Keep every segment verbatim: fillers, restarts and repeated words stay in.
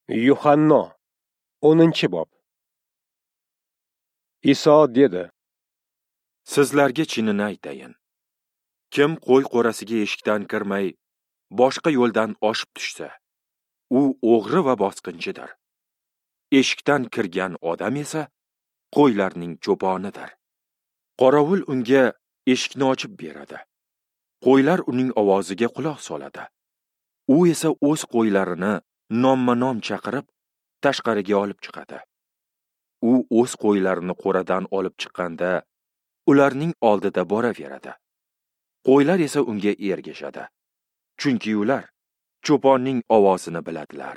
Yuhanno, o'ninchi bob. Iso dedi: Sizlarga chinini aytayin. Kim qo'y qo'rasiga eshikdan kirmay, boshqa yo'ldan oshib tushsa, u o'g'ri va bosqinchidir. Eshikdan kirgan odam esa qo'ylarning cho'ponidir. Qorovul unga eshikni ochib beradi. Qo'ylar uning ovoziga quloq soladi. U esa o'z qo'ylarini nomma-nom chaqirib, tashqariga olib chiqadi. U o'z qo'ylarini qo'radan olib chiqqanda, ularning oldida boraveradi. Qo'ylar esa unga ergashadi. Chunki ular cho'ponning ovozini biladilar.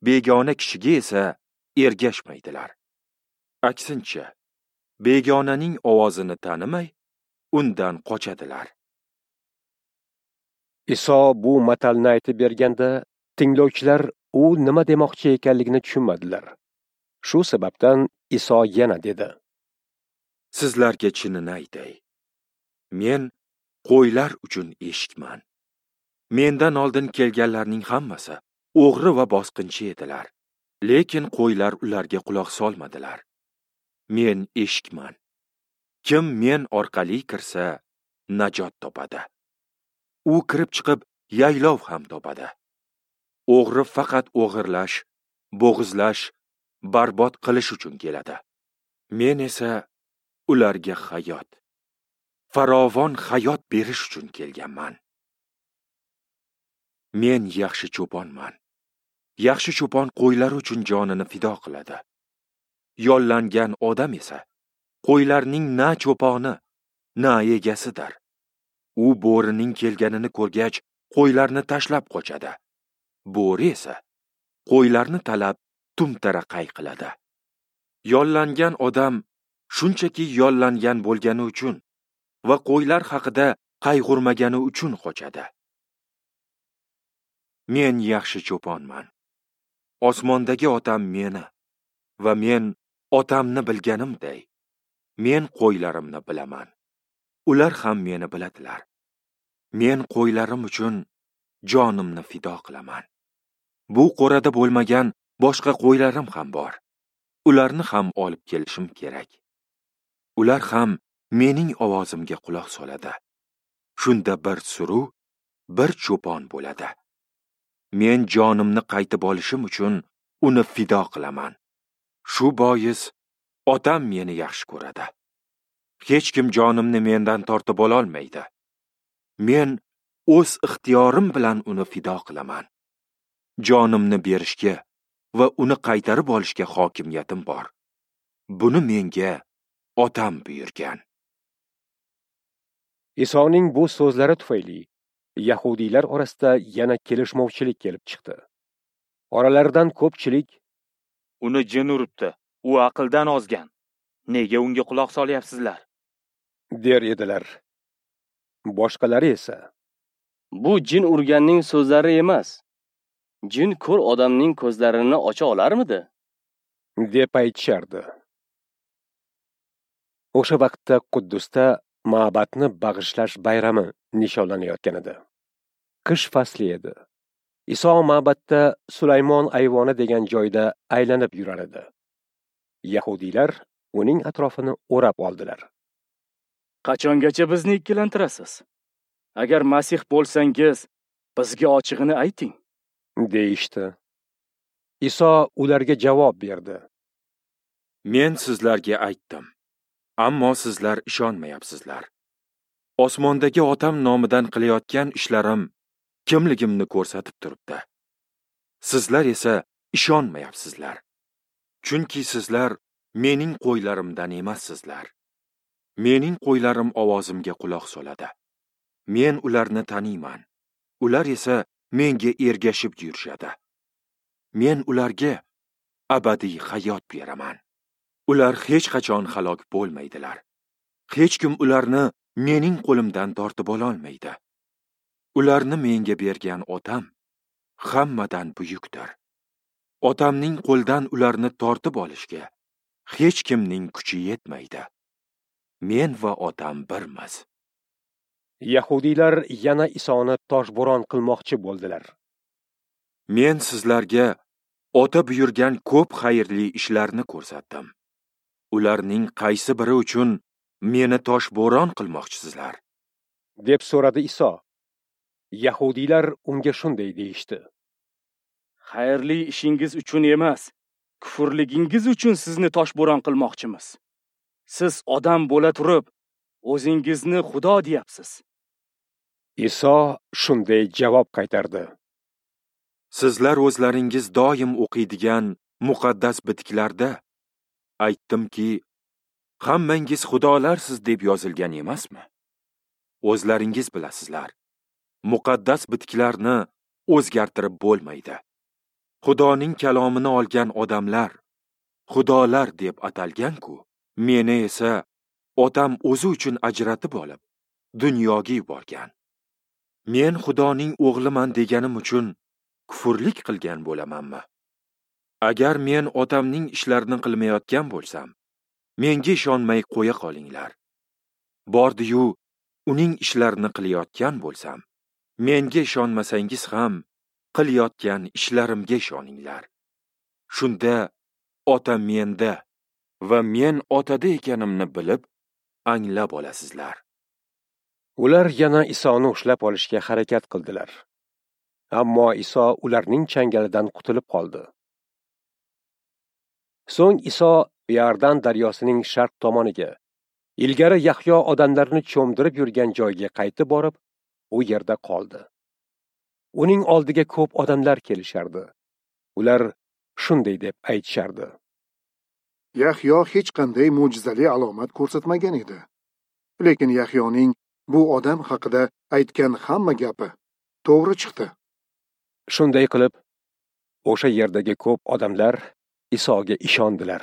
Begona kishiga esa ergashmaydilar. Aksincha, begonaning ovozini tanimay, undan qochadilar. Iso bu matalni aytib berganda, tinglovchilar u nima demoqchi ekanligini tushunmadilar. Shu sababdan Iso yana dedi: Sizlarga chinini aytay. Men qo'ylar uchun eshikman. Mendan oldin kelganlarning hammasi o'g'ri va bosqinchi edilar. Lekin qo'ylar ularga quloq solmadilar. Men eshikman. Kim men orqali kirsa, najot topadi. U kirib chiqib, yaylov ham topadi. O'g'ri faqat o'g'irlash, bo'g'izlash, barbod qilish uchun keladi. Men esa ularga hayot, farovon hayot berish uchun kelganman. Men yaxshi cho'ponman. Yaxshi cho'pon qo'ylar uchun jonini fido qiladi. Yollangan odam esa qo'ylarning na cho'poni, na egasidir. U bo'rining kelganini ko'rgach, qo'ylarni tashlab qochadi. Bo'ri esa qo'ylarni talab tumtaraqay qiladi. Yollangan odam shunchaki yollangan bo'lgani uchun va qo'ylar haqida qayg'urmagani uchun qochadi. Men yaxshi cho'ponman. Osmondagi otam meni va men otamni bilganimday, men qo'ylarimni bilaman. Ular ham meni biladilar. Men qo'ylarim uchun jonimni fido qilaman. Bu qo'rada bo'lmagan boshqa qo'ylarim ham bor. Ularni ham olib kelishim kerak. Ular ham mening ovozimga quloq soladi. Shunda bir suru, bir cho'pon bo'ladi. Men jonimni qaytib olishim uchun uni fido qilaman. Shu bois otam meni yaxshi ko'radi. Hech kim jonimni mendan tortib ola olmaydi. Men o'z ixtiyorim bilan uni fido qilaman. Jonimni berishga va uni qaytarib olishga hokimiyatim bor. Buni menga otam buyurgan. Isoning bu so'zlari tufayli yahudiylar orasida yana kelishmovchilik kelib chiqdi. Oralaridan ko'pchilik: Uni jin uribdi, u aqldan ozgan. Nega unga quloq solyapsizlar? der edilar. Boshqalari esa: Bu jin urganning so'zlari emas. Jin ko'r odamning ko'zlarini ocha olarmidi? deb aytishardi. O'sha vaqtda Quddusda ma'batni bag'ishlash bayrami nishonlanayotgan edi. Qish fasli edi. Iso ma'batda Sulaymon ayvoni degan joyda aylanib yurar edi. Yahudiylar uning atrofini o'rab oldilar. Qachongacha bizni ikkilantirasiz? Agar Masih bo'lsangiz, bizga ochig'ini ayting, deyishdi. Iso ularga javob berdi: Men sizlarga aytdim, ammo sizlar ishonmayapsizlar. Osmondagi otam nomidan qilayotgan ishlarim kimligimni ko'rsatib turibdi. Sizlar esa ishonmayapsizlar. Chunki sizlar mening qo'ylarimdan emassizlar. Mening qo'ylarim ovozimga quloq soladi. Men ularni taniyman. Ular esa menga ergashib yurishadi. Men ularga abadiy hayot beraman. Ular hech qachon halok bo'lmaydilar. Hech kim ularni mening qo'limdan tortib ola olmaydi. Ularni menga bergan otam hammadan buyukdir. Otamning qo'lidan ularni tortib olishga hech kimning kuchi yetmaydi. Men va otam birmiz. Yahudiylar yana Isoni toshbo'ron qilmoqchi bo'ldilar. Men sizlarga Ota buyurgan ko'p xayrli ishlarni ko'rsatdim. Ularning qaysi biri uchun meni toshbo'ron qilmoqchisizlar? Deb so'radi Iso. Yahudiylar unga shunday deyishdi: Xayrli ishingiz uchun emas, kufrligingiz uchun sizni toshbo'ron qilmoqchimiz. Siz odam bo'la turib, o'zingizni Xudo deyapsiz. Iso shunday javob qaytardi: Sizlar o'zlaringiz doim o'qiydigan muqaddas bitiklarda aytdimki, hammangiz xudolarsiz deb yozilgan emasmi? O'zlaringiz bilasizlar, muqaddas bitiklarni o'zgartirib bo'lmaydi. Xudoning kalomini olgan odamlar xudolar deb atalgan-ku, meni esa otam o'zi uchun ajratib olib, dunyoga yuborgan. Men Xudoning o'g'liman deganim uchun kufrlik qilgan bo'lamanmi? Agar men otamning ishlarini qilmayotgan bo'lsam, menga ishonmay qo'ya qolinglar. Bordi-yu, uning ishlarini qilayotgan bo'lsam, menga ishonmasangiz ham qilayotgan ishlarimga ishoninglar. Shunda ota menda va men otada ekanimni bilib, anglab olasizlar. Ular yana Isoni ushlab olishga harakat qildilar. Ammo Iso ularning changalidan qutulib qoldi. So'ng Iso Iordan daryosining sharq tomoniga, ilgari Yahyo odamlarni cho'mdirib yurgan joyga qaytib borib, u yerda qoldi. Uning oldiga ko'p odamlar kelishardi. Ular shunday deb aytishardi: Yahyo hech qanday mo'jizali alomat ko'rsatmagan edi. Lekin Yahyoning bu odam haqida aytgan hamma gapi to'g'ri chiqdi. Shunday qilib, o'sha yerdagi ko'p odamlar Isoga ishondilar.